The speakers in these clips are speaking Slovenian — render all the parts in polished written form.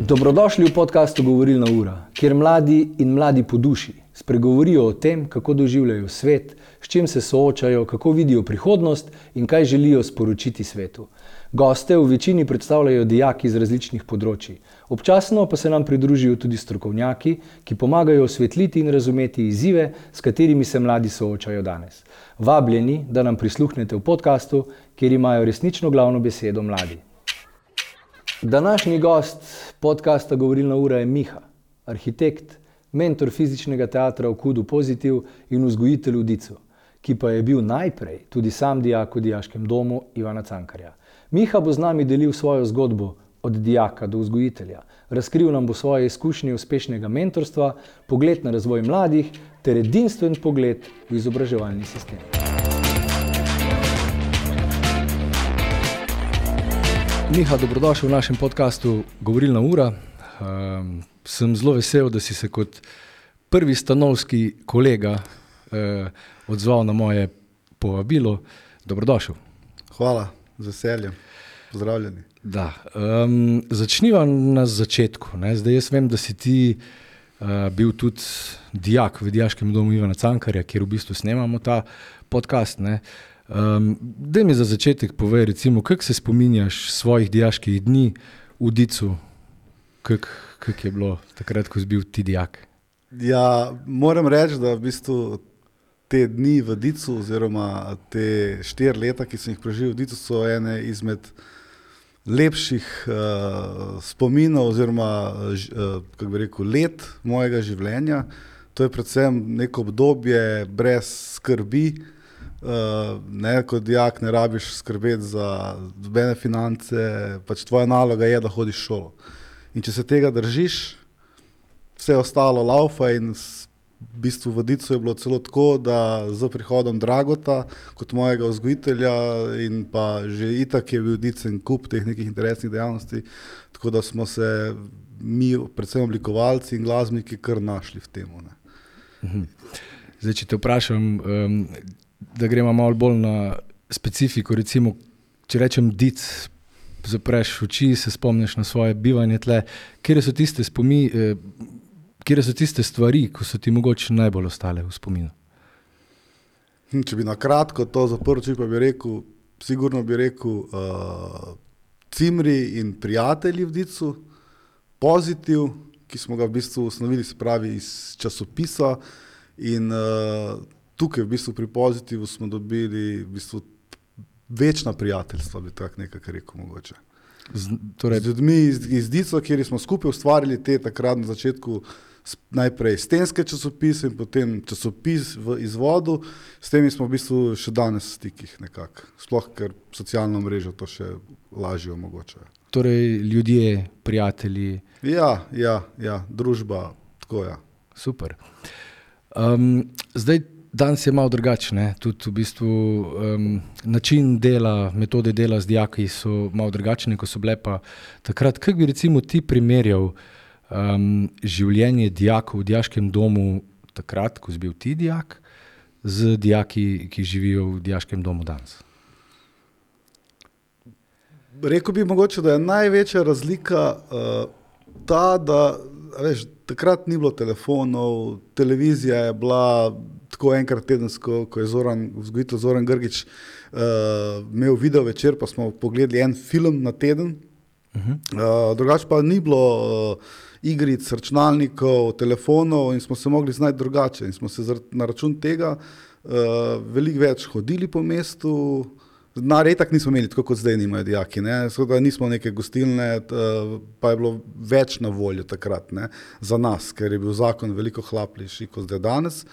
Dobrodošli v podcastu Govorilna ura, kjer mladi in mladi po duši spregovorijo o tem, kako doživljajo svet, s čim se soočajo, kako vidijo prihodnost in kaj želijo sporočiti svetu. Goste v večini predstavljajo dijaki z različnih področij. Občasno pa se nam pridružijo tudi strokovnjaki, ki pomagajo osvetliti in razumeti izzive, s katerimi se mladi soočajo danes. Vabljeni, da nam prisluhnete v podcastu, kjer imajo resnično glavno besedo mladi. Današnji gost podcasta Govorilna ura je Miha, arhitekt, mentor fizičnega teatra v KUD-u Pozitiv in vzgojitelj v Dicu, ki pa je bil najprej tudi sam dijak v dijaškem domu Ivana Cankarja. Miha bo z nami delil svojo zgodbo od dijaka do vzgojitelja. Razkril nam bo svoje izkušnje uspešnega mentorstva, pogled na razvoj mladih ter edinstven pogled v izobraževalni sistem. Miha, dobrodošel v našem podcastu Govorilna ura. Sem zelo vesel, da si se kot prvi stanovski kolega odzval na moje povabilo. Dobrodošel. Hvala, z veseljem. Pozdravljeni. Da. Začniva na začetku. Ne? Zdaj jaz vem, da si ti bil tudi dijak v dijaškem domu Ivana Cankarja, kjer v bistvu snemamo ta podcast. Ne? Daj mi za začetek povej, recimo, kako se spominjaš svojih dijaških dni v Dicu? Kako je bilo takrat, ko si bil ti dijak? Ja, moram reči, da v bistvu te dni v Dicu oziroma te 4 leta, ki sem jih preživel v Dicu, so ene izmed lepših spominov oziroma kako bi rekel, let mojega življenja. To je predvsem neko obdobje brez skrbi. Kot dijak ne rabiš skrbeti za nobene finance, pač tvoja naloga je, da hodiš v šolo. In če se tega držiš, vse ostalo laufa in v bistvu v Dicu je bilo celo tako, da z prihodom Dragota kot mojega vzgojitelja in pa že itak je bil Dicen kup teh nekih interesnih dejavnosti, tako da smo se mi, predvsem oblikovalci in glasbeniki, kar našli v temu. Ne. Zdaj, če te vprašam, da gremo malo bolj na specifiko, recimo, če rečem Dic, zapreš oči, se spomniš na svoje bivanje tle, kje so tiste stvari, ko so ti mogoče najbolj ostale v spominu? Če bi na kratko to zaprl oči, pa bi rekel, sigurno bi rekel Cimri in prijatelji v Dicu, Pozitiv, ki smo ga v bistvu ustanovili, se pravi iz časopisa in tukaj v bistvu pri Pozitivu smo dobili v bistvu večna prijateljstva, bi tako nekako rekel mogoče. Z ljudmi iz Dico, kjer smo skupaj ustvarili te takrat na začetku najprej stenske časopise in potem časopis v izvodu. S temi smo v bistvu še danes v stikih nekako. Sploh, ker socialno mrežo to še lažje omogočajo. Torej ljudje, prijatelji. Ja, družba, tako ja. Super. Zdaj, danes je malo drugačne, tudi v bistvu način dela, metode dela z dijaki so malo drugačne, ko so bile pa takrat. Kako bi recimo ti primerjal življenje dijakov v dijaškem domu takrat, ko si bil ti dijak, z dijaki, ki živijo v dijaškem domu danes? Rekel bi mogoče, da je največja razlika ta, da veš, takrat ni bilo telefonov, televizija je bila tako enkrat tedensko, ko je vzgojitelj Zoran Grgič imel video večer, pa smo pogledali en film na teden. Drugače pa ni bilo igric, računalnikov, telefonov in smo se mogli znati drugače. In smo se na račun tega veliko več hodili po mestu. Retak nismo imeli tako, kot zdaj nimajo dijaki. Nismo neke gostilne, pa je bilo več na voljo takrat, ne, za nas, ker je bil zakon veliko hlapljši kot zdaj danes.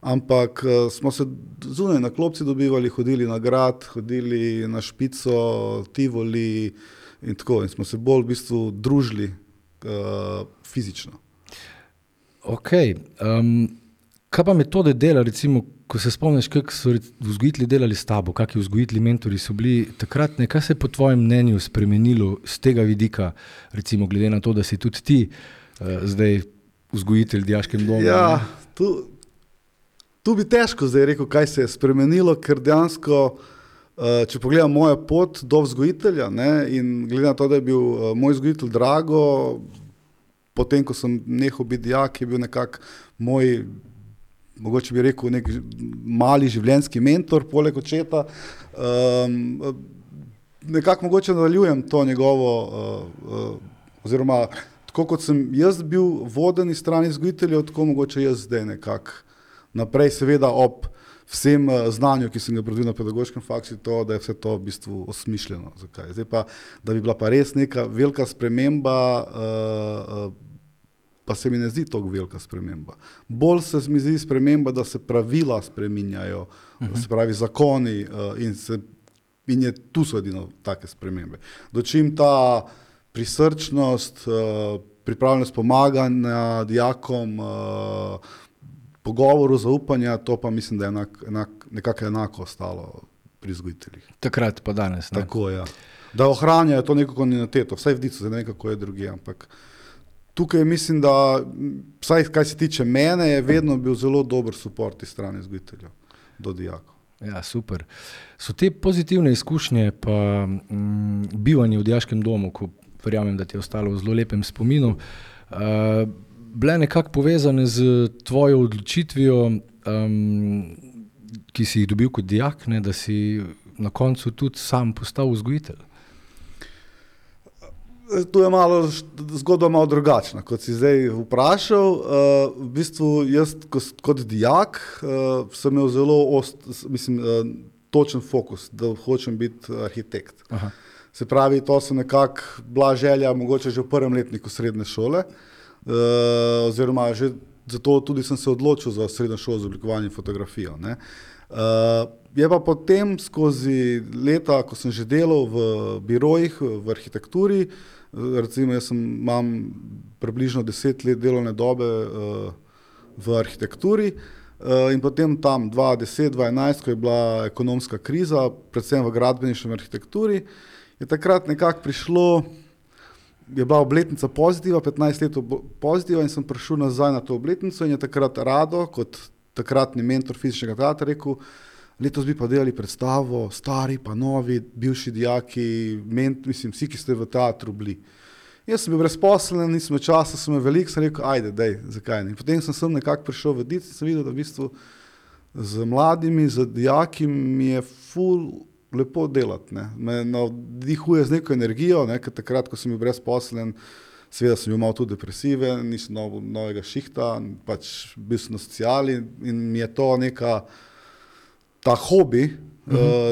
Ampak smo se zunaj na klopci dobivali, hodili na grad, hodili na Špico, Tivoli in tako. In smo se bolj v bistvu družili fizično. Ok. Kaj pa metode dela, recimo, ko se spomniš, kako so vzgojitelji delali s tabo, kakšni vzgojitelji, mentori so bili takrat, kaj se je po tvojem mnenju spremenilo z tega vidika, recimo glede na to, da si tudi ti zdaj vzgojitelj v dijaškem domu? Ja, tu bi težko zdaj rekel, kaj se je spremenilo, ker dejansko, če pogledam mojo pot do vzgojitelja, ne, in glede na to, da je bil moj vzgojitelj Drago, potem, ko sem nehal biti dijak, je bil nekako moj, mogoče bi rekel, nek mali življenjski mentor, poleg očeta. Nekako mogoče nadaljujem to njegovo, oziroma tako kot sem jaz bil voden iz strani vzgojiteljev, tako mogoče jaz zdaj nekako naprej, seveda ob vsem znanju, ki sem ga pridobil na pedagoškem faksu, to, da je vse to v bistvu osmišljeno. Zakaj? Zdaj pa, da bi bila pa res neka velika sprememba, pa se mi ne zdi toliko velika sprememba. Bolj se mi zdi sprememba, da se pravila spreminjajo, se pravi zakoni in tu so edino take spremembe. Dočim ta prisrčnost, pripravljenost pomaganja dijakom, pogovoru, zaupanja, to pa mislim, da je nekako enako ostalo pri vzgojiteljih. Takrat pa danes, ne? Tako, ja. Da ohranjajo to neko kontinuiteto, vsaj v Dicu, zdaj nekako je drugje, ampak tukaj mislim, da, vsaj kaj se tiče mene, je vedno bil zelo dober suport iz strani vzgojiteljev do dijakov. Ja, super. So te pozitivne izkušnje pa bivanje v dijaškem domu, ko verjamem, da ti je ostalo v zelo lepem spominu, bile nekako povezane z tvojo odločitvijo, ki si jih dobil kot dijak, ne, da si na koncu tudi sam postal vzgojitelj? Tu je zgodba malo drugačna, kot si zdaj vprašal. V bistvu jaz kot dijak sem imel zelo točen fokus, da hočem biti arhitekt. Aha. Se pravi, to so nekako bila želja mogoče že v prvem letniku srednje šole, oziroma že zato tudi sem se odločil za srednjo šolo za oblikovanje in fotografijo. Ne. Je pa potem skozi leta, ko sem že delal v birojih, v arhitekturi, recimo jaz imam približno 10 let delovne dobe v arhitekturi in potem tam 2010-2011, ko je bila ekonomska kriza, predvsem v gradbeništvu in arhitekturi, je takrat nekako prišlo, je bila obletnica Pozitiva, 15 let Pozitiva in sem prišel nazaj na to obletnico in je takrat Rado, kot takratni mentor fizičnega teatra, rekel, letos bi pa delali predstavo, stari pa novi, bivši dijaki, vsi, ki ste v teatru bili. Jaz sem bil brezposeln, nisem imel časa, sem imel veliko, sem rekel, ajde, dej, zakaj ne. In potem sem nekako prišel v Dic in sem videl, da v bistvu z mladimi, z dijaki mi je ful lepo delati, ne. Me navdihuje z neko energijo, ne, ker takrat, ko sem bil brezposeln, seveda sem bil malo tudi depresiven, nisem novega šihta, pač bil sem na sociali in mi je to neka, ta hobi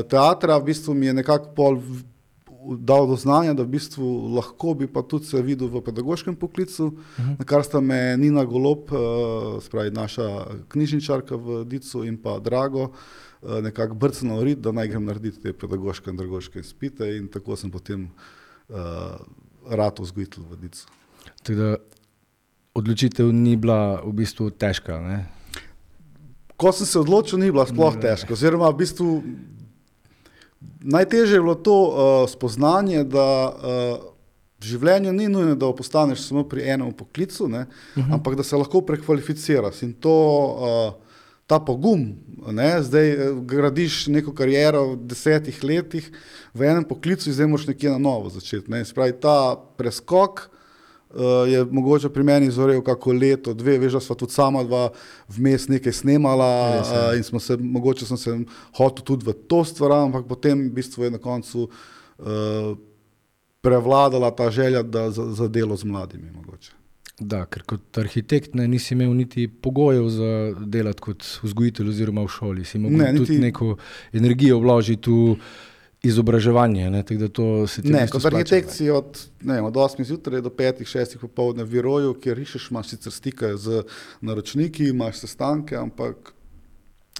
teatra v bistvu mi je nekako pol dal do znanja, da v bistvu lahko bi pa tudi se videl v pedagoškem poklicu, na kar sta me Nina Golob, spravi naša knjižničarka v Dicu in pa Drago, nekako brcnil rit, da naj grem narediti te pedagoške in andragoške izpite in tako sem potem rad vzgojitelj v Dicu. Tako da odločitev ni bila v bistvu težka, ne? Ko sem se odločil, ni bila sploh težka, oziroma v bistvu najtežje je bilo to spoznanje, da v življenju ni nujno, da postaneš samo pri enem poklicu, ne, ampak da se lahko prekvalificiraš in to ta pogum, ne, zdaj gradiš neko kariero v 10 letih v enem poklicu in zdaj moraš nekje na novo začeti. Ne. Se pravi, ta preskok je mogoče pri meni zorel kako leto, 2, veš, da sva tudi sama dva vmes nekaj snemala in mogoče sem se hotel tudi v to stvar, ampak potem v bistvu je na koncu prevladala ta želja za delo z mladimi mogoče. Da, ker kot arhitekt nisi imel niti pogojev za delati kot vzgojitelj oziroma v šoli. Si mogel tudi neko energijo vložiti v izobraževanje, ne, tako da to se ti kot arhitekt si od 8 zjutraj do 5, 6 popoldne v biroju, kjer rišeš, imaš sicer stike z naročniki, imaš sestanke, ampak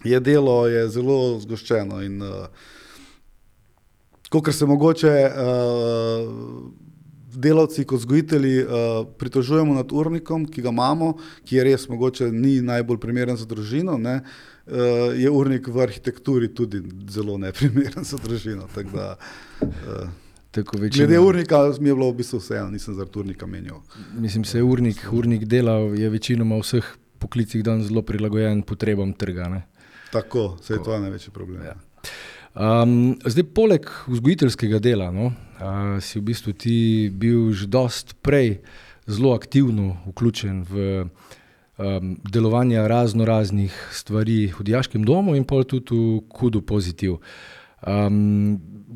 delo je zelo zgoščeno in kakor se mogoče delavci kot vzgojitelji pritožujemo nad urnikom, ki ga imamo, ki je res mogoče ni najbolj primeren za družino, ne, je urnik v arhitekturi tudi zelo neprimeren za družino. Tako da, glede urnika mi je bilo v bistvu vseeno, nisem zaradi urnika menjal. Mislim, se urnik dela je večinoma v vseh poklicih dan zelo prilagojen potrebam trga. Ne? Tako, se je to največji problem. Ja. Zdaj, poleg vzgojiteljskega dela, si v bistvu ti bil že dost prej zelo aktivno vključen v delovanje raznih stvari v dijaškem domu in pol tudi v KUD-u Pozitiv.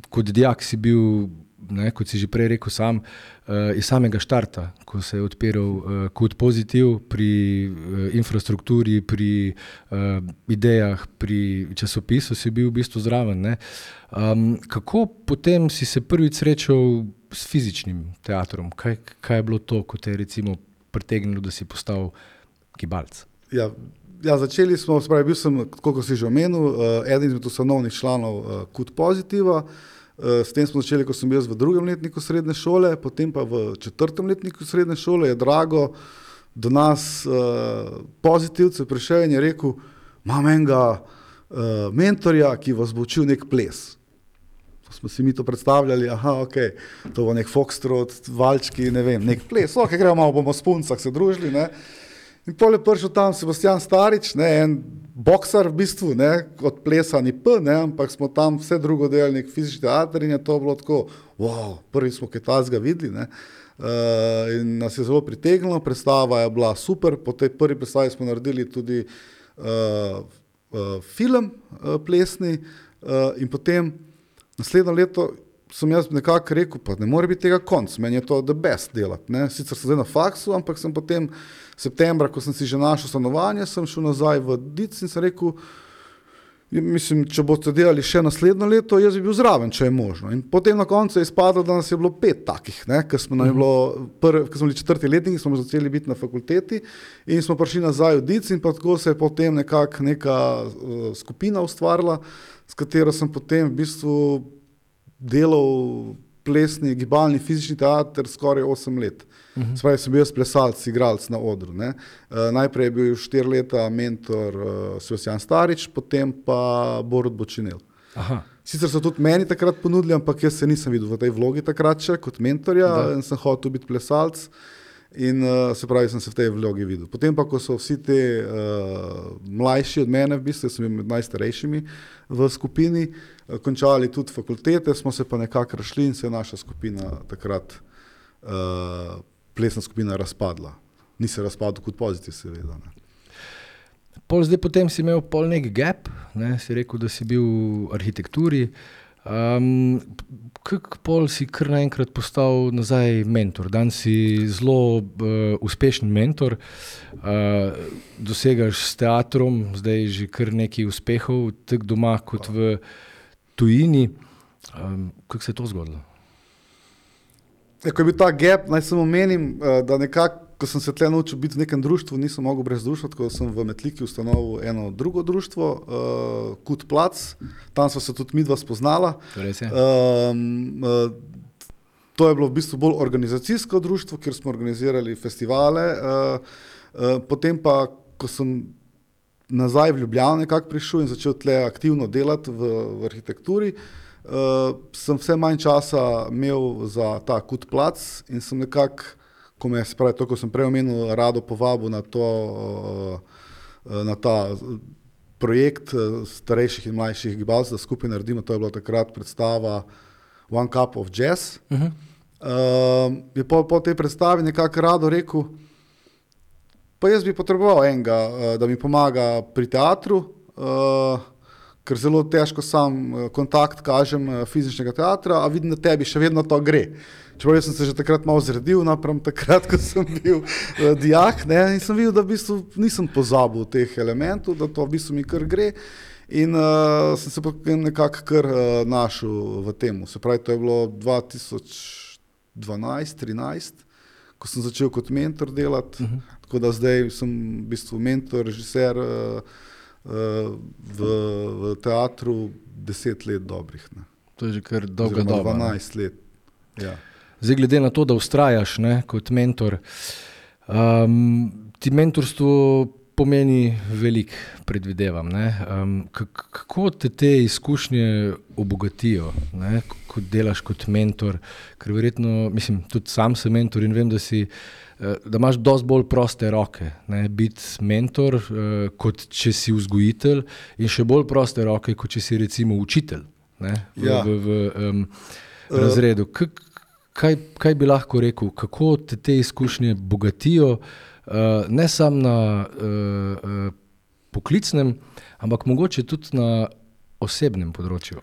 Kot dijak si bil, kot si že prej rekel sam, iz samega štarta, ko se je odpiral KUD Pozitiv pri infrastrukturi, pri idejah, pri časopisu si bil v bistvu zraven. Ne? Kako potem si se prvič srečal s fizičnim teatrom? Kaj je bilo to, ko te je recimo pritegnilo, da si postal gibalc? Ja, začeli smo, bil sem, kot si že omenil, eden izmed ustanovnih članov KUD Pozitiva. S tem smo začeli, ko sem bil v 2. letniku srednje šole, potem pa v 4. letniku srednje šole je Drago do nas pozitivcev prišel in je rekel, imam enega mentorja, ki vas bo učil nek ples. Smo si mi to predstavljali, to bo nek foxtrot, valčki, ne vem, nek ples, gremo malo, bomo s puncah se družili, ne. In potem je prišel tam Sebastian Starič, ne, en boksar v bistvu, ne, od plesa ni P, ne, ampak smo tam vse drugo delali, nek fizični teater in je to bilo tako, prvi smo kaj tazga videli, ne, in nas je zelo pritegnilo, predstava je bila super, po tej prvi predstavi smo naredili tudi film plesni in potem naslednjo leto sem jaz nekako rekel, pa ne more biti tega konc, meni je to the best delati, ne, sicer sem zdaj na faksu, ampak sem potem septembra, ko sem si že našel stanovanje, sem šel nazaj v DIC in sem rekel, mislim, če boste delali še naslednjo leto, jaz bi bil zraven, če je možno. In potem na koncu je izpadlo, da nas je bilo 5 takih, ne, ker smo bili 4. letniki, smo začeli biti na fakulteti in smo prišli nazaj v DIC in pa tako se je potem nekako neka skupina ustvarila, s katero sem potem v bistvu delal plesni, gibalni, fizični teater skoraj 8 let. Spravi, sem bil jaz plesalc, igralc na odru. Ne. Najprej je bil 4 leta mentor Sebastian Starič, potem pa Borut Bočinel. Sicer so tudi meni takrat ponudili, ampak jaz se nisem videl v tej vlogi takrat še kot mentorja in sem hotel biti plesalc in se pravi, sem se v tej vlogi videl. Potem pa, ko so vsi te mlajši od mene, v bistvu sem bil med najstarejšimi v skupini, končali tudi fakultete, smo se pa nekako rašli in se je naša skupina takrat plesna skupina razpadla. Ni se razpadl KUD Pozitiv, seveda. Ne. Potem si imel nek gap, ne, si rekel, da si bil v arhitekturi. Kako si kar naenkrat postal nazaj mentor? Danes si zelo uspešen mentor, dosegaš s teatrom, zdaj že kar nekaj uspehov, tako doma kot v tujini. Kako se je to zgodilo? Ko je bil ta gap, naj samo omenim, da nekako, ko sem se tle naučil biti v nekem društvu, nisem mogel brez društva, tako da sem v Metliki ustanovil eno drugo društvo, KUD Plac, tam sva se tudi midva spoznala. To je bilo v bistvu bolj organizacijsko društvo, kjer smo organizirali festivale, potem pa, ko sem nazaj v Ljubljano nekako prišel in začel tle aktivno delati v arhitekturi, sem vse manj časa imel za ta KUD Plac in sem nekako, ko sem prej omenil, rado povabil na ta projekt starejših in mlajših gibalcev, da skupaj naredimo, to je bila takrat predstava One Cup of Jazz. Je po tej predstavi nekako rado rekel, pa jaz bi potreboval enega, da mi pomaga pri teatru, ker zelo težko sam kontakt kažem fizičnega teatra, a vidim, da tebi še vedno to gre. Čeprav jaz sem se že takrat malo zredil, napram takrat, ko sem bil dijak, ne, in sem videl, da v bistvu nisem pozabil teh elementov, da to v bistvu mi kar gre in sem se potem nekako kar našel v temu. Se pravi, to je bilo 2012-13, ko sem začel kot mentor delati, tako da zdaj sem v bistvu mentor, režiser, v teatru 10 let dobrih. Ne. To je že kar dolga doba. 12 let, ja. Zdaj, glede na to, da vztrajaš, ne, kot mentor, ti mentorstvo pomeni veliko, predvidevam. Ne. Kako te izkušnje obogatijo, ne, ko delaš kot mentor? Ker verjetno, mislim, tudi sam sem mentor in vem, da imaš dosti bolj proste roke, ne, biti mentor, kot če si vzgojitelj in še bolj proste roke, kot če si recimo učitelj, ne, v razredu. kaj bi lahko rekel, kako te izkušnje bogatijo, ne samo na poklicnem, ampak mogoče tudi na osebnem področju?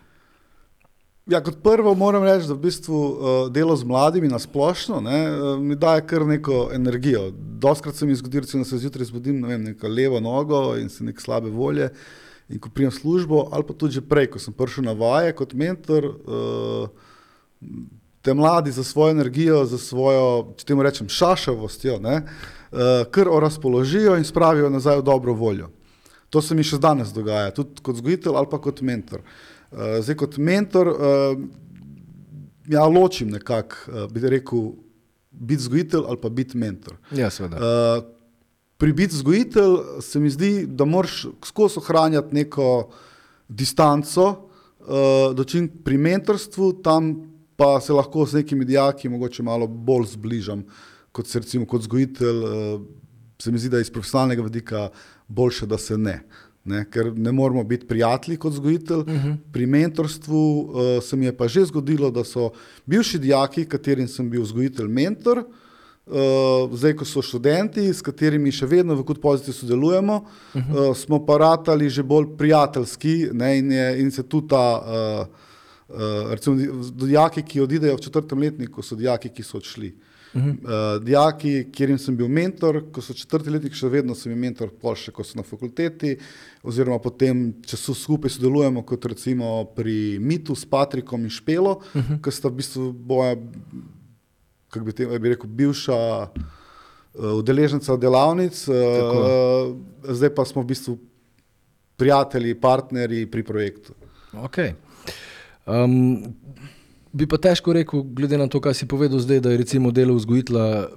Ja, kot prvo moram reči, da v bistvu delo z mladimi na splošno mi daje kar neko energijo. Dostikrat se mi zgodi, recimo, da se zjutraj zbudim, neko levo nogo in se neke slabe volje in ko pridem v službo, ali pa tudi že prej, ko sem prišel na vaje kot mentor, te mladi za svojo energijo, za svojo, če temu rečem, šašavostjo, kar razpoložijo in spravijo nazaj v dobro voljo. To se mi še danes dogaja, tudi kot vzgojitelj ali pa kot mentor. Zdaj kot mentor, ja, ločim nekako, bi rekel, biti vzgojitelj ali pa biti mentor. Ja, seveda. Pri biti vzgojitelj se mi zdi, da moraš skozi ohranjati neko distanco, dočim pri mentorstvu, tam pa se lahko z nekimi dijaki mogoče malo bolj zbližam, kot se recimo kot vzgojitelj, se mi zdi, da iz profesionalnega vidika boljše, da se ne. Ker ne moramo biti prijatelji kot vzgojitelj. Pri mentorstvu se mi je pa že zgodilo, da so bivši dijaki, katerim sem bil vzgojitelj mentor, zdaj ko so študenti, s katerimi še vedno v Kud Pozitiv sodelujemo, smo pa ratali že bolj prijateljski, in se tudi ta, recimo dijaki, ki odidejo v 4. letniku, so dijaki, ki so odšli. Dijaki, kjerim sem bil mentor, ko so 4. letnik, še vedno sem bil mentor, pol še, ko so na fakulteti, oziroma potem, če so skupaj sodelujemo, kot recimo pri Mitu s Patrikom in Špelo, ki sta v bistvu boja, kako bi rekel, bivša udeleženca delavnic, zdaj pa smo v bistvu prijatelji, partnerji pri projektu. Okay. Bi pa težko rekel, glede na to, kaj si povedal zdaj, da je recimo delo vzgojitelja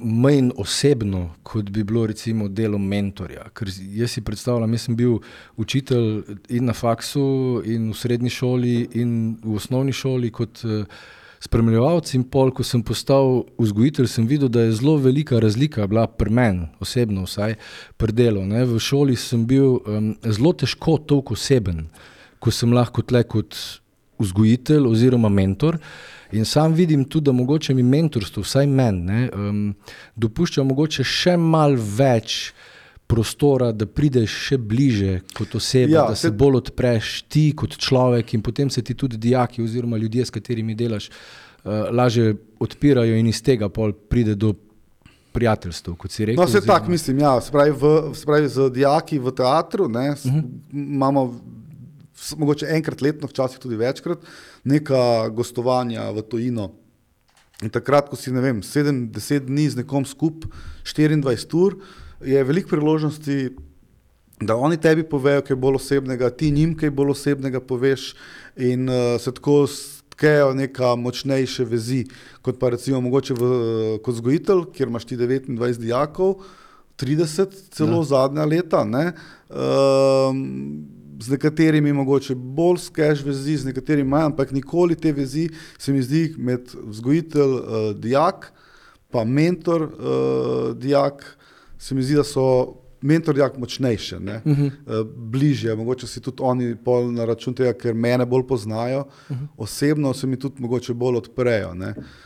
manj osebno, kot bi bilo recimo delo mentorja. Ker jaz si predstavljam, jaz sem bil učitelj in na faksu, in v srednji šoli, in v osnovni šoli kot spremljevalec, in pol, ko sem postal vzgojitelj, sem videl, da je zelo velika razlika bila pri meni, osebno vsaj, pri delu. V šoli sem bil zelo težko toliko oseben, ko sem lahko tle kot vzgojitelj oziroma mentor, in sam vidim tudi, da mogoče mi mentorstvo, vsaj meni, dopušča mogoče še malo več prostora, da prideš še bliže kot oseba, da se bolj odpreš ti kot človek in potem se ti tudi dijaki oziroma ljudje, s katerimi delaš, lažje odpirajo in iz tega pol pride do prijateljstev, kot si rekel. No, se tak mislim, ja, se pravi z dijaki v teatru, imamo mogoče enkrat letno, včasih tudi večkrat, neka gostovanja v tujino. In takrat, ko si, 7-10 dni z nekom skup, 24 ur, je veliko priložnosti, da oni tebi povejo kaj bolj osebnega, ti njim kaj bolj osebnega poveš in se tako tkejo neka močnejše vezi, kot pa recimo mogoče kot vzgojitelj, kjer imaš ti 29 dijakov, 30 celo zadnja leta, z nekaterimi mogoče bolj skeš vezi, z nekaterimi manj, ampak nikoli te vezi se mi zdi med vzgojitelj dijak, pa mentor dijak, se mi zdi, da so mentor dijak močnejše, bližje, mogoče si tudi oni pol na račun tega, ker mene bolj poznajo, osebno se mi tudi mogoče bolj odprejo.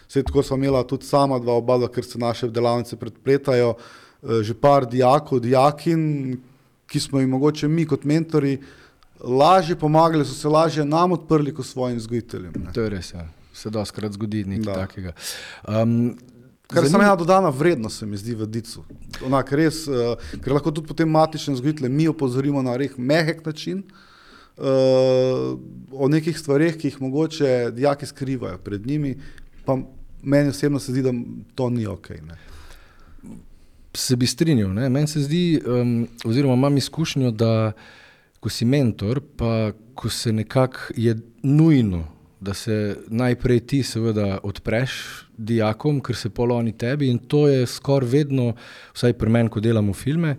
Saj tako sva imela tudi sama oba, ker se naše delavnice predpletajo, že par dijakov, dijakin, ki smo jim mogoče mi kot mentori lažje pomagali, so se lažje nam odprli kot svojim vzgojiteljem. To je res, ja. Se dostikrat zgodi nekaj takega. Kar sem ena dodana vrednost, se mi zdi v Dicu. Res, ker lahko tudi potem matične vzgojitelje mi opozorimo na mehek način o nekih stvareh, ki jih mogoče dijaki skrivajo pred njimi, pa meni osebno se zdi, da to ni okej. Se bi strinjal, meni se zdi, oziroma imam izkušnjo, da ko si mentor, pa ko se nekako je nujno, da se najprej ti seveda odpreš dijakom, ker se pol oni tebi, in to je skoraj vedno, vsaj pri meni, ko delamo filme,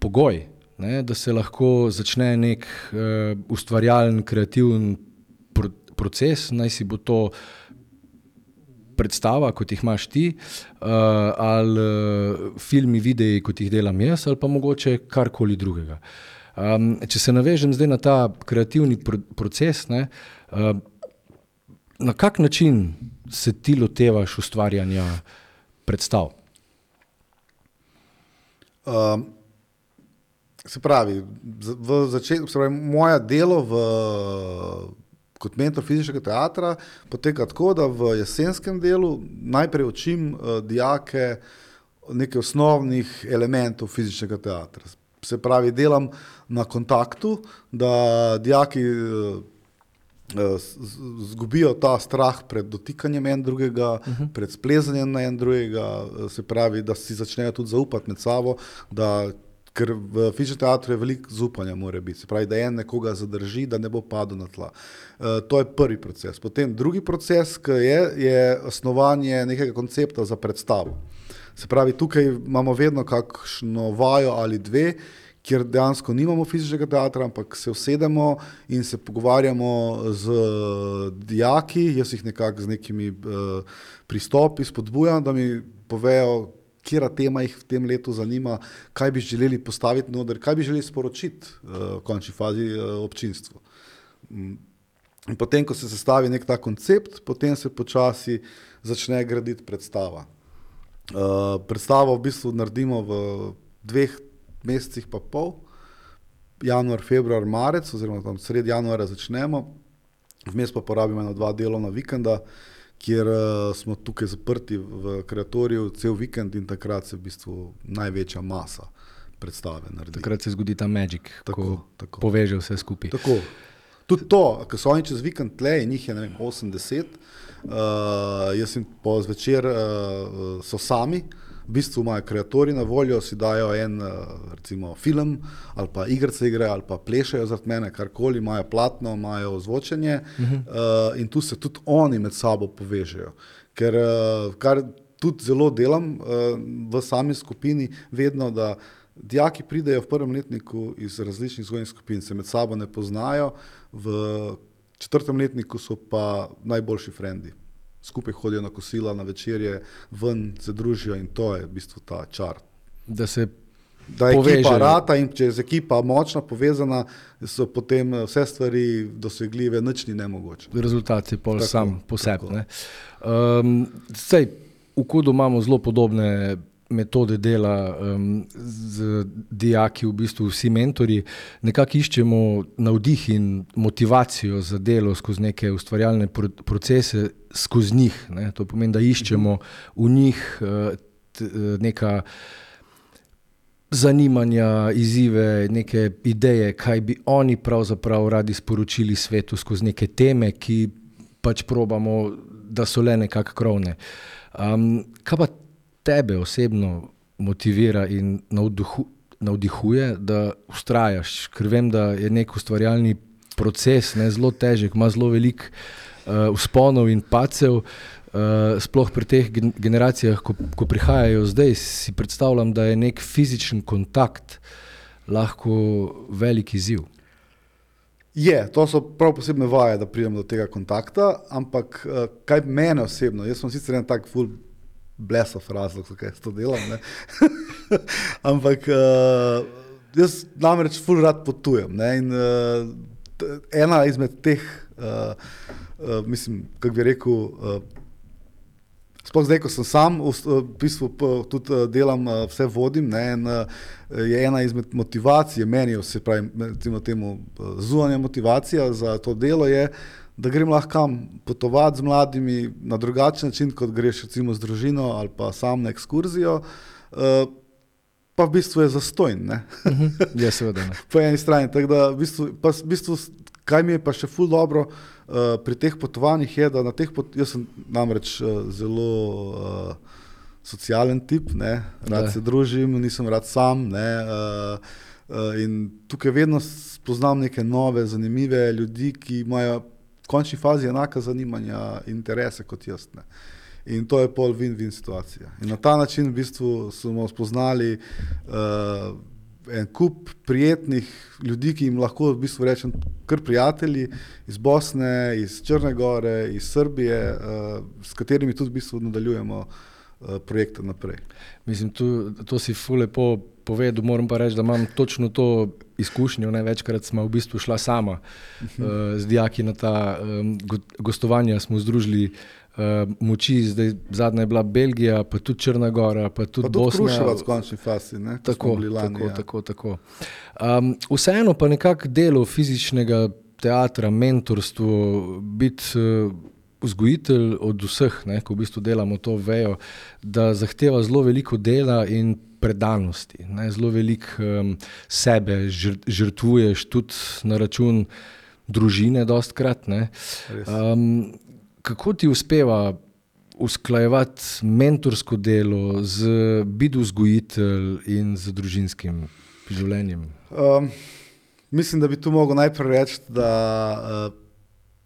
pogoj, da se lahko začne nek ustvarjalen, kreativen proces, naj si bo to predstava, kot jih imaš ti, ali filmi, videi, kot jih delam jaz, ali pa mogoče karkoli drugega. Če se navežem zdaj na ta kreativni proces, Na kak način se ti lotevaš ustvarjanja predstav? Se pravi, moje delo kot mentor fizičnega teatra poteka tako, da v jesenskem delu najprej učim dijake nekaj osnovnih elementov fizičnega teatra. Se pravi, delam na kontaktu, da dijaki zgubijo ta strah pred dotikanjem en drugega, pred splezanjem na en drugega, se pravi, da si začnejo tudi zaupati med sabo, ker v fizičnem teatru je veliko zaupanja mora biti, se pravi, da en nekoga zadrži, da ne bo padel na tla. To je prvi proces. Potem drugi proces, ki je osnovanje nekega koncepta za predstavo. Se pravi, tukaj imamo vedno kakšno vajo ali dve, kjer dejansko nimamo fizičnega teatra, ampak se usedemo in se pogovarjamo z dijaki, jaz jih nekako z nekimi pristopi spodbujam, da mi povejo, katera tema jih v tem letu zanima, kaj bi želeli postaviti noter, kaj bi želeli sporočiti v končni fazi občinstvu. In potem, ko se sestavi nek ta koncept, potem se počasi začne graditi predstava. Predstavo v bistvu naredimo v 2 mesecih pa pol, januar, februar, marec, oziroma tam sredi januarja začnemo, vmes pa porabimo 1-2 delovna vikenda, kjer smo tukaj zaprti v kreatoriju cel vikend in takrat se v bistvu največja masa predstave naredi. Takrat se zgodi ta magic, ko poveže vse skupaj. Tako. Tudi to, ko so oni čez vikend tle in njih je, 80, jaz jim po zvečer so sami, v bistvu imajo kreatorji na voljo, si dajo en recimo film ali pa igrice igrajo ali pa plešajo zaradi mene, karkoli, imajo platno, imajo ozvočenje in tu se tudi oni med sabo povežejo. Ker kar tudi zelo delam v sami skupini vedno, da dijaki pridejo v 1. letniku iz različnih vzgojnih skupin, se med sabo ne poznajo, v 4. letniku so pa najboljši frendi. Skupaj hodijo na kosila, na večerje, ven se družijo in to je v bistvu ta čar. Da se da je ekipa rata in če je ekipa močna, povezana, so potem vse stvari dosegljive, nič ni nemogoče. Rezultat je pol sam po sebi. Saj, v Kodu imamo zelo podobne metode dela z dijaki, v bistvu vsi mentorji. Nekako iščemo navdih in motivacijo za delo skozi neke ustvarjalne procese, skozi njih. Ne? To pomeni, da iščemo v njih neka zanimanja, izzive, neke ideje, kaj bi oni pravzaprav radi sporočili svetu skozi neke teme, ki pač probamo, da so le nekako krovne. Kaj pa tebe osebno motivira in navdihuje, da vztrajaš? Ker vem, da je nek ustvarjalni proces zelo težek, ima zelo veliko vzponov in padcev, sploh pri teh generacijah, ko prihajajo zdaj, si predstavljam, da je nek fizičen kontakt lahko velik izziv. To so prav posebne vaje, da pridem do tega kontakta, ampak kaj mene osebno, jaz sem sicer en tak ful blesov razlog, zakaj to delam, ne? Ampak jaz namreč ful rad potujem, ne? In ena izmed teh, mislim, kako bi rekel, sploh zdaj, ko sem sam, v bistvu tudi delam, vse vodim, ne? In je ena izmed motivacij, meni, se pravi, recimo temu zunanja motivacija za to delo je, da grem lahko kam potovati z mladimi na drugačen način, kot greš recimo z družino ali pa sam na ekskurzijo, pa v bistvu je zastojn, ne? Ja, seveda, ne. Po eni strani, tako da v bistvu, kaj mi je pa še ful dobro pri teh potovanjih je, da jaz sem namreč zelo socialen tip, ne? Rad se družim, nisem rad sam, ne? In tukaj vedno spoznam neke nove, zanimive ljudi, ki imajo v končni fazi enaka zanimanja in interese kot jaz, ne. In to je pol win-win situacija. In na ta način v bistvu smo spoznali en kup prijetnih ljudi, ki jim lahko v bistvu rečem kar prijatelji iz Bosne, iz Črne Gore, iz Srbije, s katerimi tudi v bistvu nadaljujemo projekte naprej. Mislim, to si ful lepo povedal, moram pa reči, da imam točno to izkušnjo. Večkrat smo v bistvu šla sama z dijaki na ta gostovanja, smo združili moči, zdaj zadnja je bila Belgija, pa tudi Črna Gora, pa tudi Bosna. Pa tudi Kruševac v končni fasi, ne? Tako. Vseeno pa nekako delo fizičnega teatra, mentorstvo, biti vzgojitelj od vseh, ko v bistvu delamo to, vejo, da zahteva zelo veliko dela in predanosti. Zelo veliko sebe žrtvuješ tudi na račun družine dostkrat. Kako ti uspeva usklajevati mentorsko delo z biti vzgojitelj in z družinskim življenjem? Mislim, da bi tu mogel najprej reči, da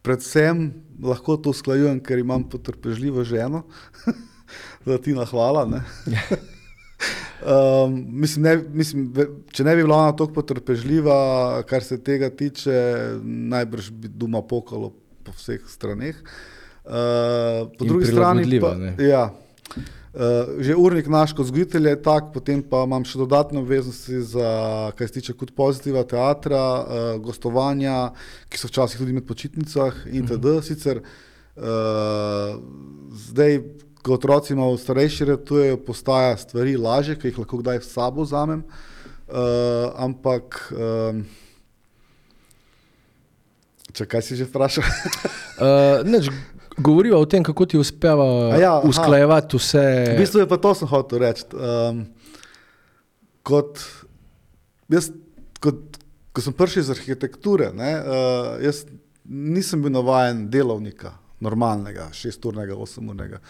predvsem lahko to usklajujem, ker imam potrpežljivo ženo. Tina, hvala. Ne? Če ne bi bila ona toliko potrpežljiva, kar se tega tiče, najbrž bi doma pokalo po vseh straneh. Po drugi strani pa, že urnik naš kot vzgojitelj je tak, potem pa imam še dodatne obveznosti za, kaj se tiče kot pozitiva teatra, gostovanja, ki so včasih tudi med počitnicah itd. Sicer zdaj, ko otroci malo starejši ratujejo, postaja stvari lažje, ker jih lahko kdaj s sabo vzamem, ampak kaj si že vprašal? Govoriva o tem, kako ti uspeva usklajevati vse. V bistvu je pa to sem hotel reči. Ko sem prišel iz arhitekture, jaz nisem bil navajen delovnika, normalnega, 6-urnega, 8-urnega.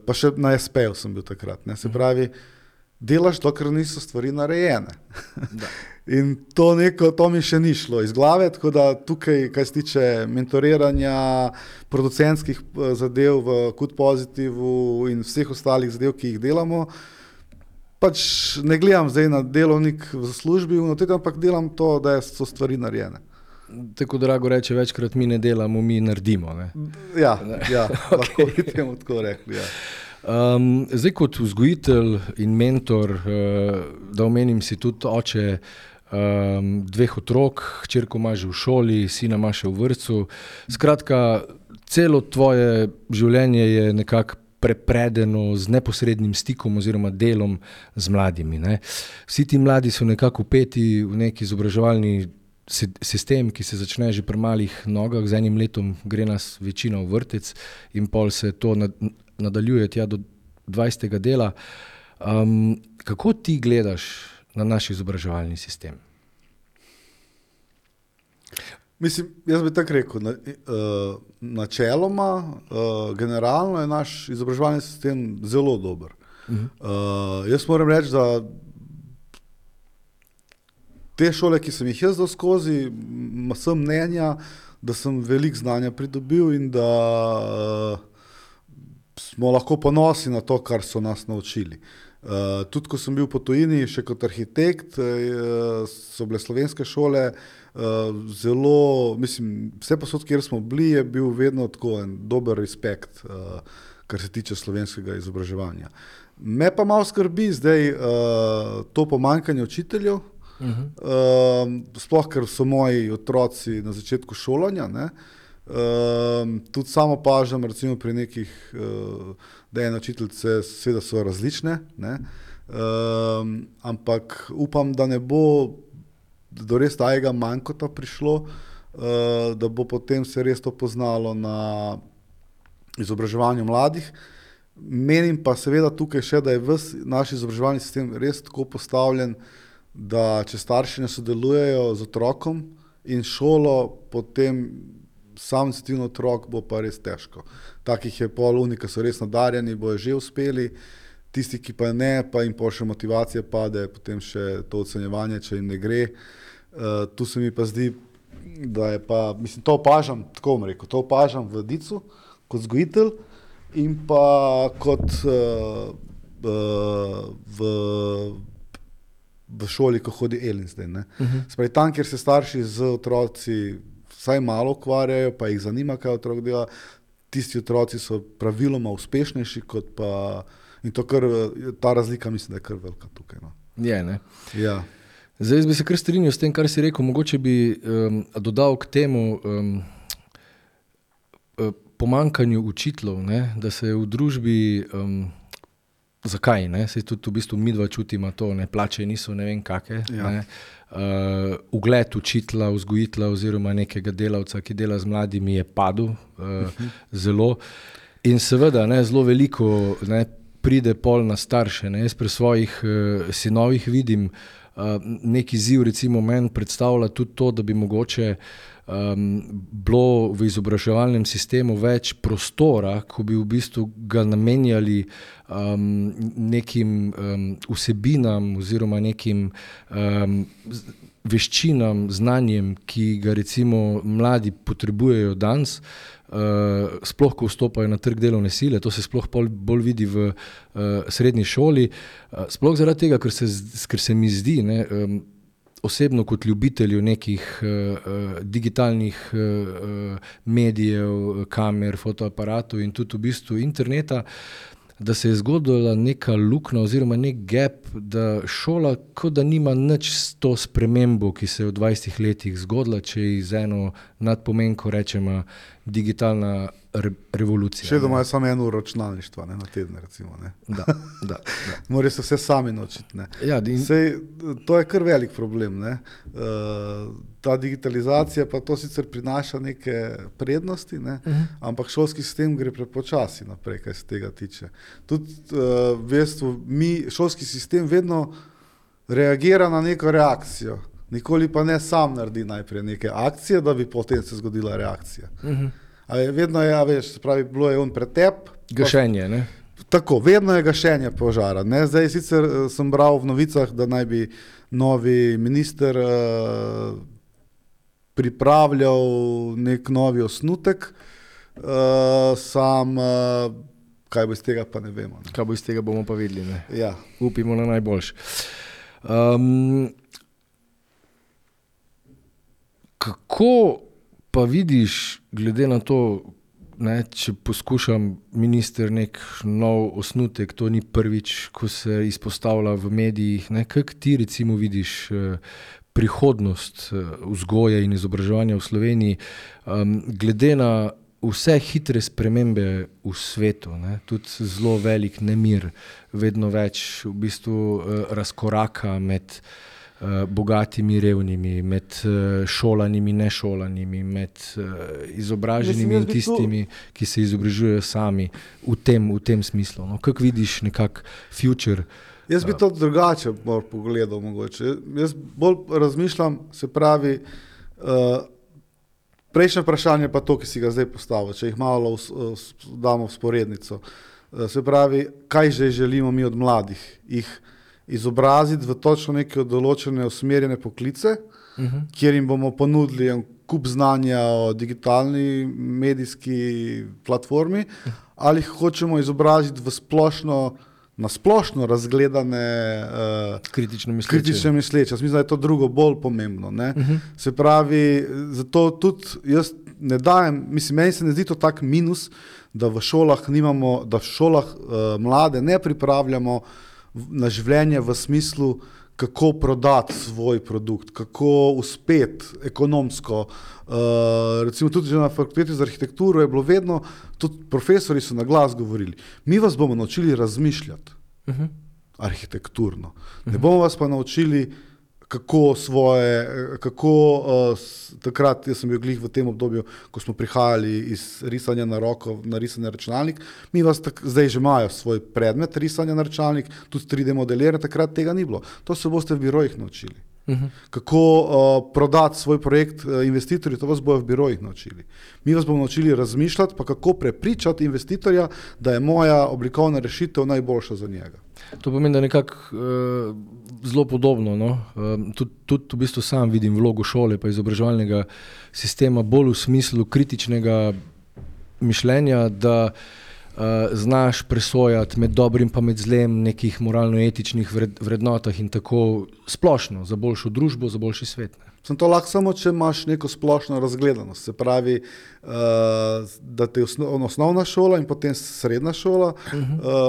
Pa še na SP-ju sem bil takrat. Se pravi, delaš dokler niso stvari narejene. In to mi še ni šlo iz glave, tako da tukaj, kaj se tiče mentoriranja, producentskih zadev v Kud Pozitivu in vseh ostalih zadev, ki jih delamo, pač ne gledam zdaj na delovnik v službi, ampak delam to, da so stvari narejene. Tako Drago reče, večkrat mi ne delamo, mi naredimo. Ne? Ja, lahko bi temu tako rekli, ja. Zdaj kot vzgojitelj in mentor, da omenim si tudi oče 2 otrok, hčerko ima že v šoli, sina ima še v vrtcu. Skratka, celo tvoje življenje je nekako prepredeno z neposrednim stikom oziroma delom z mladimi. Vsi ti mladi so nekako vpeti v neki izobraževalni sistem, ki se začne že pri malih nogah, z enim letom gre nas večina v vrtec in pol se to nadaljuje tja do 20. dela. Kako ti gledaš na naš izobraževalni sistem? Mislim, jaz bi tako rekel, načeloma, generalno je naš izobraževalni sistem zelo dober. Jaz moram reči, da te šole, ki sem jih jaz dal skozi, sem mnenja, da sem veliko znanja pridobil in da smo lahko ponosni na to, kar so nas naučili. Tudi ko sem bil po tujini, še kot arhitekt, so bile slovenske šole zelo, mislim, vse posod, kjer smo bili, je bil vedno tako en dober respekt, kar se tiče slovenskega izobraževanja. Me pa malo skrbi zdaj to pomanjkanje učiteljev, sploh ker so moji otroci na začetku šolanja, tudi samo opažam, recimo pri nekih DNA učiteljice, seveda so različne, ampak upam, da ne bo do res tajega manjkota prišlo, da bo potem se res to poznalo na izobraževanju mladih. Menim pa seveda tukaj še, da je ves naš izobraževalni sistem res tako postavljen, da če starši ne sodelujejo z otrokom in šolo, potem sam iniciativni otrok bo pa res težko. Takih je pol unika, so res nadarjeni, bojo že uspeli, tisti, ki pa ne, pa jim še motivacija pade, potem še to ocenjevanje, če jim ne gre. Tu se mi pa zdi, da je pa, mislim, to opažam, tako bom rekel, to opažam v Dicu kot vzgojitelj in pa kot v šoli, ko hodi Elin zdaj. Spravi, tam, kjer se starši z otroci vsaj malo ukvarjajo, pa jih zanima, kaj otrok dela, tisti otroci so praviloma uspešnejši, kot pa, in to kar, ta razlika mislim, da je kar velika tukaj. Je, ne? Ja. Zdaj, jaz bi se kar strinjal s tem, kar si rekel, mogoče bi dodal k temu pomanjkanju učiteljev, ne? Da se je v družbi, zakaj, ne? Saj tudi v bistvu midva čutima to, ne? Plače niso ne vem kake, ne? Ugled učitelja, vzgojitelja oziroma nekega delavca, ki dela z mladimi, je padel zelo. In seveda, ne, zelo veliko, ne, pride pol na starše, ne? Jaz pri svojih sinovih vidim neki izziv, recimo meni predstavlja tudi to, da bi mogoče bilo v izobraževalnem sistemu več prostora, ko bi v bistvu ga namenjali nekim vsebinam oziroma nekim veščinam, znanjem, ki ga recimo mladi potrebujejo danes, sploh ko vstopajo na trg delovne sile, to se sploh bolj vidi v srednji šoli, sploh zaradi tega, ker se mi zdi, ne, osebno kot ljubitelju nekih digitalnih medijev, kamer, fotoaparatov in tudi v bistvu interneta, da se je zgodila neka luknja oziroma nek gap, da šola kot da nima nič s to spremembo, ki se je v 20 letih zgodila, če ji z eno nadpomenko rečemo digitalna revolucija. Še doma je samo 1 uro računalništva, ne, na teden, recimo. Ne. Da. Morajo se vse sami naučiti. Ne. Ja, Sej, to je kar velik problem. Ne. Ta digitalizacija pa to sicer prinaša neke prednosti, ne, ampak šolski sistem gre prepočasi naprej, kaj se tega tiče. Tudi v bistvu šolski sistem vedno reagira na neko reakcijo. Nikoli pa ne sam naredi najprej neke akcije, da bi potem se zgodila reakcija. Vedno je, veš, se pravi, bilo je on pretep. Gašenje, ne? Tako, vedno je gašenje požara. Ne? Zdaj sicer sem bral v novicah, da naj bi novi minister pripravljal nek novi osnutek, kaj bo iz tega, pa ne vemo. Ne? Kaj bo iz tega, bomo pa videli, ne? Ja. Upimo na najboljše. Kako pa vidiš, glede na to, ne, če poskušam minister nek nov osnutek, to ni prvič, ko se izpostavlja v medijih, ne, kako ti recimo vidiš prihodnost vzgoje in izobraževanja v Sloveniji, glede na vse hitre spremembe v svetu, ne, tudi zelo velik nemir, vedno več v bistvu razkoraka med bogatimi, revnimi, med šolanimi, nešolanimi, med izobraženimi in tistimi, ki se izobražujejo sami v tem smislu. No? Kako vidiš nekak future? Jaz bi to drugače pogledal mogoče. Jaz bolj razmišljam, se pravi, prejšnje vprašanje pa to, ki si ga zdaj postavil, če jih malo damo v sporednico. Se pravi, kaj že želimo mi od mladih? Jih izobraziti v točno neke določene usmerjene poklice, kjer jim bomo ponudili en kup znanja o digitalni medijski platformi, ali hočemo izobraziti v na splošno razgledane kritično misleče. Mislim, da je to drugo bolj pomembno. Ne? Se pravi, zato tudi jaz ne dajem, meni se ne zdi to tak minus, da v šolah mlade ne pripravljamo na življenje v smislu, kako prodati svoj produkt, kako uspeti ekonomsko. Recimo tudi že na fakulteti za arhitekturo je bilo vedno, tudi profesori so na glas govorili, mi vas bomo naučili razmišljati arhitekturno. Ne bomo vas pa naučili, takrat, jaz sem bil glih v tem obdobju, ko smo prihajali iz risanja na roko na risanje na računalnik, mi vas zdaj že imajo svoj predmet risanja na računalnik, tudi 3D modeliranje, takrat tega ni bilo. To se boste v birojih naučili. Kako prodati svoj projekt investitorju, to vas bojo v birojih naučili. Mi vas bomo naučili razmišljati, pa kako prepričati investitorja, da je moja oblikovna rešitev najboljša za njega. To pomeni, da nekako zelo podobno. No? Tudi v bistvu sam vidim vlogo šole pa izobraževalnega sistema bolj v smislu kritičnega mišljenja, da znaš presojati med dobrim pa med zlem, nekih moralno-etičnih vrednotah in tako splošno, za boljšo družbo, za boljši svet. Ne. Sem to lahko samo, če imaš neko splošno razgledanost. Se pravi, da te osnovna šola in potem srednja šola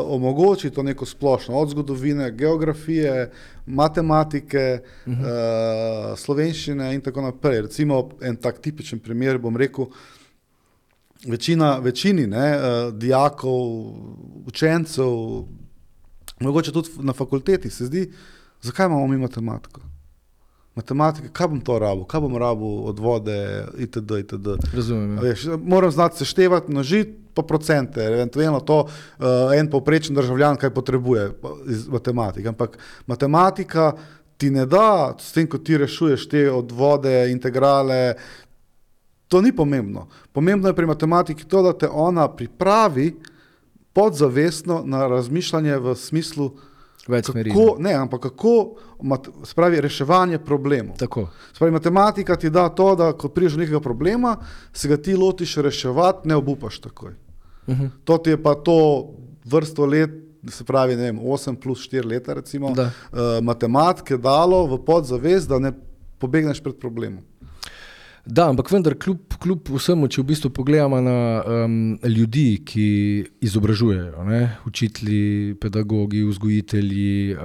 omogoči to neko splošno, od zgodovine, geografije, matematike, slovenščine in tako naprej. Recimo en tak tipičen primer, bom rekel, večini dijakov, učencev, mogoče tudi na fakulteti se zdi, zakaj imamo mi matematiko? Matematika, kaj bom to rabil? Kaj bom rabil od vode, itd., itd. Razumem. Veš, moram znati seštevati, množiti pa procente, eventualno to en povprečen državljan, kaj potrebuje iz matematike. Ampak matematika ti ne da, s tem, ko ti rešuješ te od vode, integrale, to ni pomembno. Pomembno je pri matematiki to, da te ona pripravi podzavestno na razmišljanje v smislu kako spravi reševanje problemov. Tako. Spravi matematika ti da to, da ko prideš do nekega problema, se ga ti lotiš reševati, ne obupaš takoj. To ti je pa to vrsto let, se pravi, ne vem, 8 plus 4 leta recimo, matematike dalo v podzavest, da ne pobegneš pred problemom. Da, ampak vendar kljub vsemu, če v bistvu pogledamo na ljudi, ki izobražujejo, ne? Učitelji, pedagogi, vzgojitelji,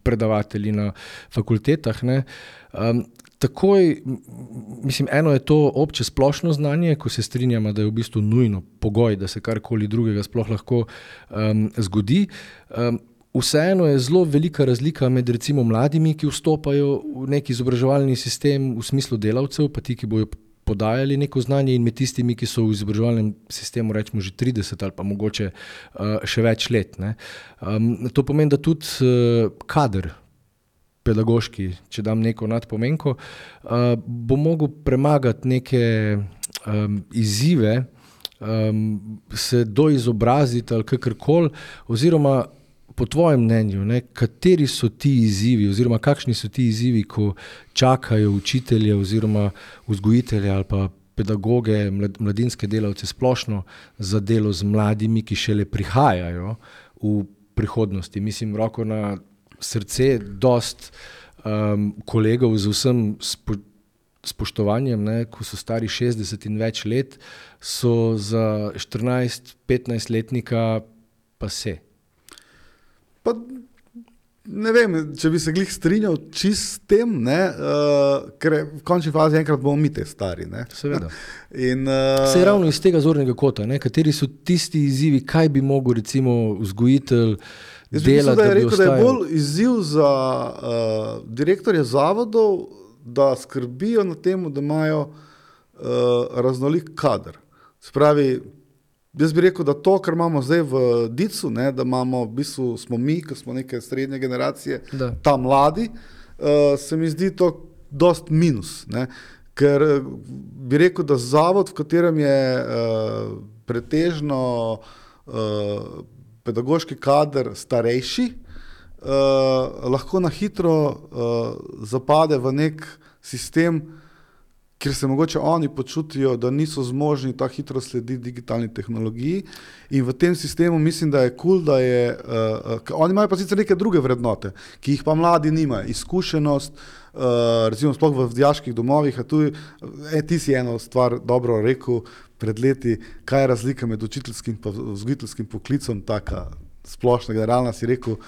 predavatelji na fakultetah, ne? Takoj, mislim, eno je to obče splošno znanje, ko se strinjamo, da je v bistvu nujno pogoj, da se karkoli drugega sploh lahko zgodi. Vseeno je zelo velika razlika med recimo mladimi, ki vstopajo v neki izobraževalni sistem v smislu delavcev, pa ti, ki bojo podajali neko znanje, in med tistimi, ki so v izobraževalnem sistemu rečemo že 30 ali pa mogoče še več let. Ne. To pomeni, da tudi kader pedagoški, če dam neko nadpomenko, bo mogel premagati neke izzive, se doizobraziti ali kakorkoli, oziroma po tvojem mnenju, ne, kateri so ti izzivi oziroma kakšni so ti izzivi, ko čakajo učitelje oziroma vzgojitelje ali pa pedagoge, mladinske delavce splošno za delo z mladimi, ki šele prihajajo v prihodnosti. Mislim, roko na srce, dost kolegov z vsem spoštovanjem, ne, ko so stari 60 in več let, so za 14-15 letnika pa se. Pa ne vem, če bi se glih strinjal čist s tem, ker v končni fazi enkrat bomo mi te stari. Ne? Seveda. Se ravno iz tega zornega kota, ne? Kateri so tisti izzivi, kaj bi mogel recimo vzgojitelj delati, da bi ostajal? Da je bolj izziv za direktorje zavodov, da skrbijo na temu, da imajo raznolik kader. Spravi, jaz bi rekel, da to, kar imamo zdaj v DIC-u, da imamo, v bistvu smo mi, ki smo neke srednje generacije, ta mladi, se mi zdi to dost minus. Ne? Ker bi rekel, da zavod, v katerem je pretežno pedagoški kader starejši, lahko na hitro zapade v nek sistem, kjer se mogoče oni počutijo, da niso zmožni tako hitro slediti digitalni tehnologiji, in v tem sistemu mislim, da je cool, da je, oni imajo pa sicer neke druge vrednote, ki jih pa mladi nimajo, izkušenost, recimo sploh v dijaških domovih, a tu ti si eno stvar dobro rekel pred leti, kaj je razlika med učiteljskim pa vzgojiteljskim poklicom, taka splošna, generalna, si rekel,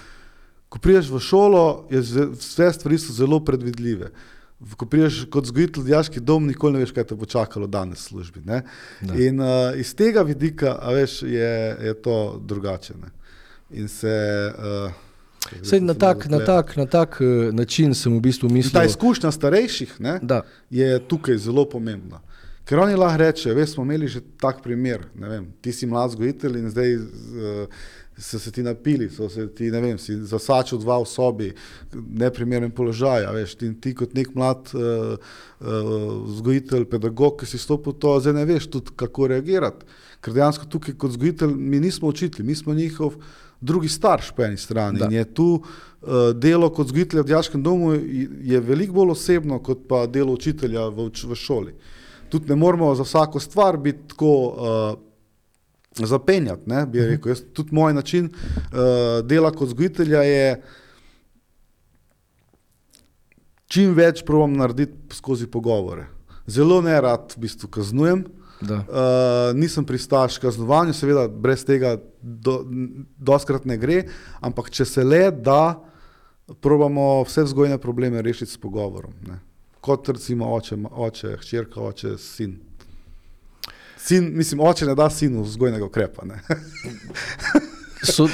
ko prideš v šolo, vse stvari so zelo predvidljive. Ko priješ kot vzgojitelj v dijaški dom, nikoli ne veš, kaj te bo čakalo danes v službi. Ne? In iz tega vidika, veš, je to drugače. Ne? In se... Na tak način sem v bistvu mislil... Ta izkušnja starejših je tukaj zelo pomembna. Ker oni lahko reče, veš, smo imeli že tak primer, ne vem, ti si mlad vzgojitelj in zdaj so se ti napili, so se ti, ne vem, si zasačil 2 v sobi, neprimeren položaj, a veš, ti kot nek mlad vzgojitelj, pedagog, ki si stopil to, zdaj ne veš tudi, kako reagirati. Ker dejansko tukaj kot vzgojitelj mi nismo učitelji, mi smo njihov drugi starš po eni strani. In je tu delo kot vzgojitelja v dijaškem domu je veliko bolj osebno, kot pa delo učitelja v šoli. Tudi ne moramo za vsako stvar biti tako zapenjati, ne, bi rekel. Tudi moj način dela kot vzgojitelja je čim več probam narediti skozi pogovore. Zelo nerad v bistvu kaznujem, nisem pristaš kaznovanju, seveda brez tega doskrat ne gre, ampak če se le da, probamo vse vzgojne probleme rešiti s pogovorom. Ne. Kot recimo oče, hčerka, oče, sin. Oče ne da sinu vzgojnega ukrepa. Ne. So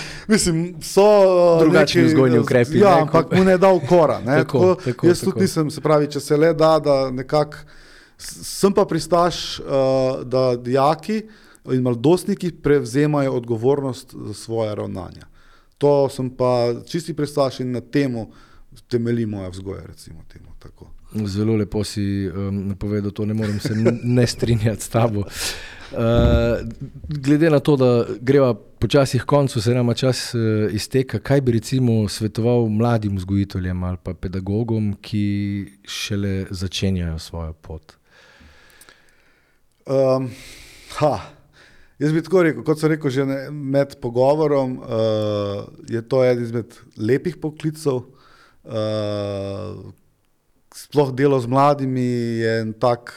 drugačni vzgojni ukrepi. Ja, ampak mu ne da ukora. Jaz tudi nisem, se pravi, če se le da nekako, sem pa pristaš, da dijaki in mladostniki prevzemajo odgovornost za svoje ravnanja. To sem pa čisti pristaš in na temu temelji moja vzgoja, recimo temu tako. Zelo lepo si napovedal, to ne morem se ne strinjati s tabo. Glede na to, da greva počasi k koncu, se nama čas izteka, kaj bi recimo svetoval mladim vzgojiteljem ali pa pedagogom, ki šele začenjajo svojo pot? Jaz bi tako rekel, kot sem rekel že med pogovorom, je to eden izmed lepih poklicev. Sploh delo z mladimi je en tak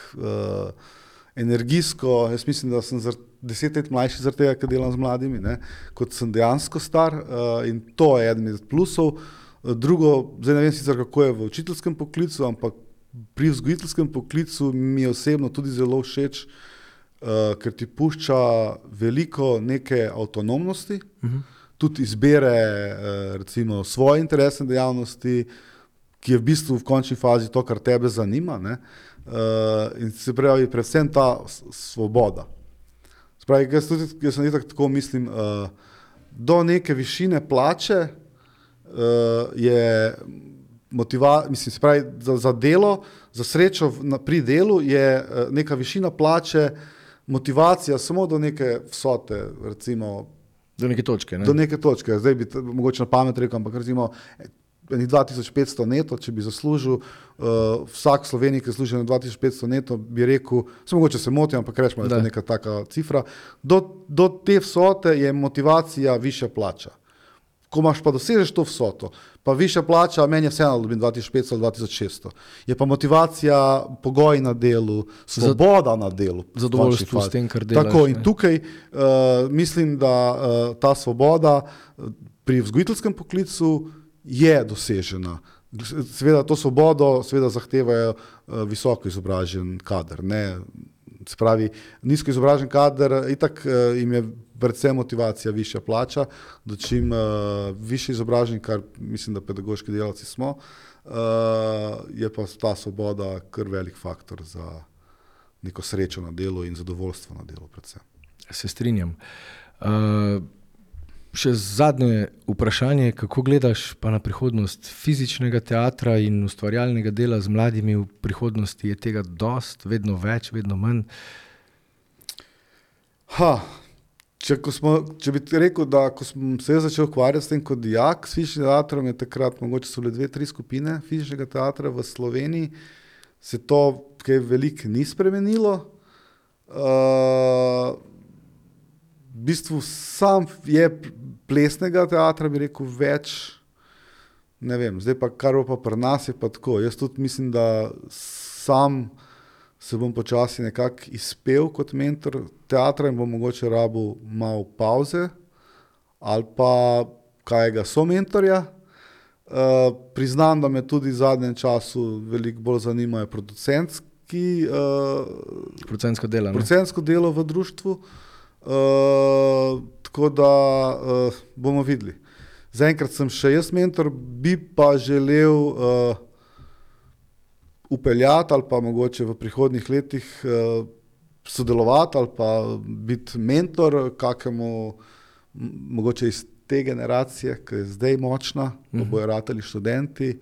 energijsko, jaz mislim, da sem 10 let mlajši zaradi tega, ker delam z mladimi, ne, kot sem dejansko star, in to je eden iz plusov. Drugo, zdaj ne vem sicer, kako je v učiteljskem poklicu, ampak pri vzgojiteljskem poklicu mi je osebno tudi zelo všeč, ker ti pušča veliko neke avtonomnosti, tudi izbere recimo svoje interesne dejavnosti, ki je v bistvu v končni fazi to, kar tebe zanima, ne? In se pravi predvsem ta svoboda. Se pravi, jaz sem tako mislim, do neke višine plače je mislim, se pravi, za delo, za srečo pri delu je neka višina plače motivacija samo do neke vsote, recimo do neke točke, ne? Do neke točke. Zdaj bi mogoče na pamet rekel, ampak recimo 2500 neto, če bi zaslužil, vsak Sloveniji, ki služi na 2500 neto, bi rekel, mogoče se motim, ampak rečemo, da je to neka taka cifra, do te vsote je motivacija višja plača. Ko imaš pa dosežeš to vsoto, pa višja plača, meni je vseeno, da dobim 2500 ali 2600. Je pa motivacija, pogoj na delu, svoboda na delu. Zadovoljstvo s tem, kar delaš. Tako, in tukaj mislim, da ta svoboda pri vzgojiteljskem poklicu je dosežena. Seveda to svobodo zahtevajo visoko izobražen kader. Ne? Se pravi, nizko izobražen kader, itak jim je predvsem motivacija višja plača, da čim višji izobražen, kar mislim, da pedagoški delavci smo, je pa ta svoboda kar velik faktor za neko srečo na delu in zadovoljstvo na delu predvsem. Se strinjam. Še zadnje vprašanje, kako gledaš pa na prihodnost fizičnega teatra in ustvarjalnega dela z mladimi v prihodnosti? Je tega dost, vedno več, vedno manj? Če bi rekel, da ko sem se začel ukvarjati s tem kot dijak, s fizičnim teatrom, je takrat mogoče so bile 2-3 skupine fizičnega teatra v Sloveniji, se to kaj veliko ni spremenilo. V bistvu sam je plesnega teatra, bi rekel, več, ne vem, zdaj pa kar pa pri nas je pa tako. Jaz tudi mislim, da sam se bom počasi nekako izpel kot mentor teatra in bom mogoče rabil malo pauze ali pa kajega somentorja. Priznam, da me tudi v zadnjem času veliko bolj zanimajo producentsko delo v društvu. Tako da bomo videli. Zaenkrat sem še jaz mentor, bi pa želel upeljati ali pa mogoče v prihodnjih letih sodelovati ali pa biti mentor kakemu mogoče iz te generacije, ki je zdaj močna, pa bojo ratali študenti,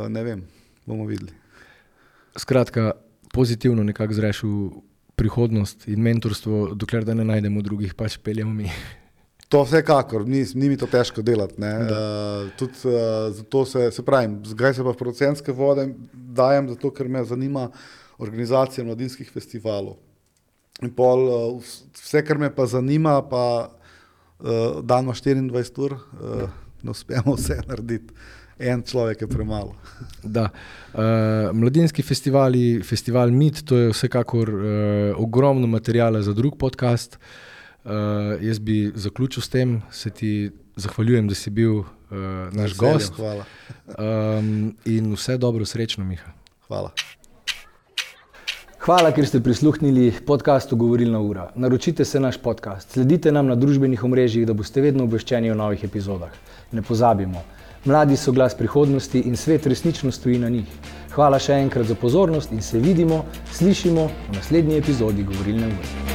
ne vem, bomo videli. Skratka, pozitivno nekako zreš v prihodnost in mentorstvo, dokler da ne najdemo drugih, pač peljemo mi. To vsekakor, ni mi to težko delati. Tudi zato se pravim, zdaj se pa v producentske vode dajem, zato ker me zanima organizacija mladinskih festivalov. In pol vse, kar me pa zanima, pa dan 24 ur, ne uspemo vse narediti. En človek je premalo. Da. Mladinski festivali, festival MIT, to je vsekakor ogromno materijala za drug podcast. Jaz bi zaključil s tem, se ti zahvaljujem, da si bil naš gost. Hvala. In vse dobro, srečno, Miha. Hvala. Hvala, ker ste prisluhnili podcastu Govorilna ura. Naročite se naš podcast, sledite nam na družbenih omrežjih, da boste vedno obveščeni o novih epizodah. Ne pozabimo, mladi so glas prihodnosti in svet resnično stoji na njih. Hvala še enkrat za pozornost in se vidimo, slišimo v naslednji epizodi Govorilne ure.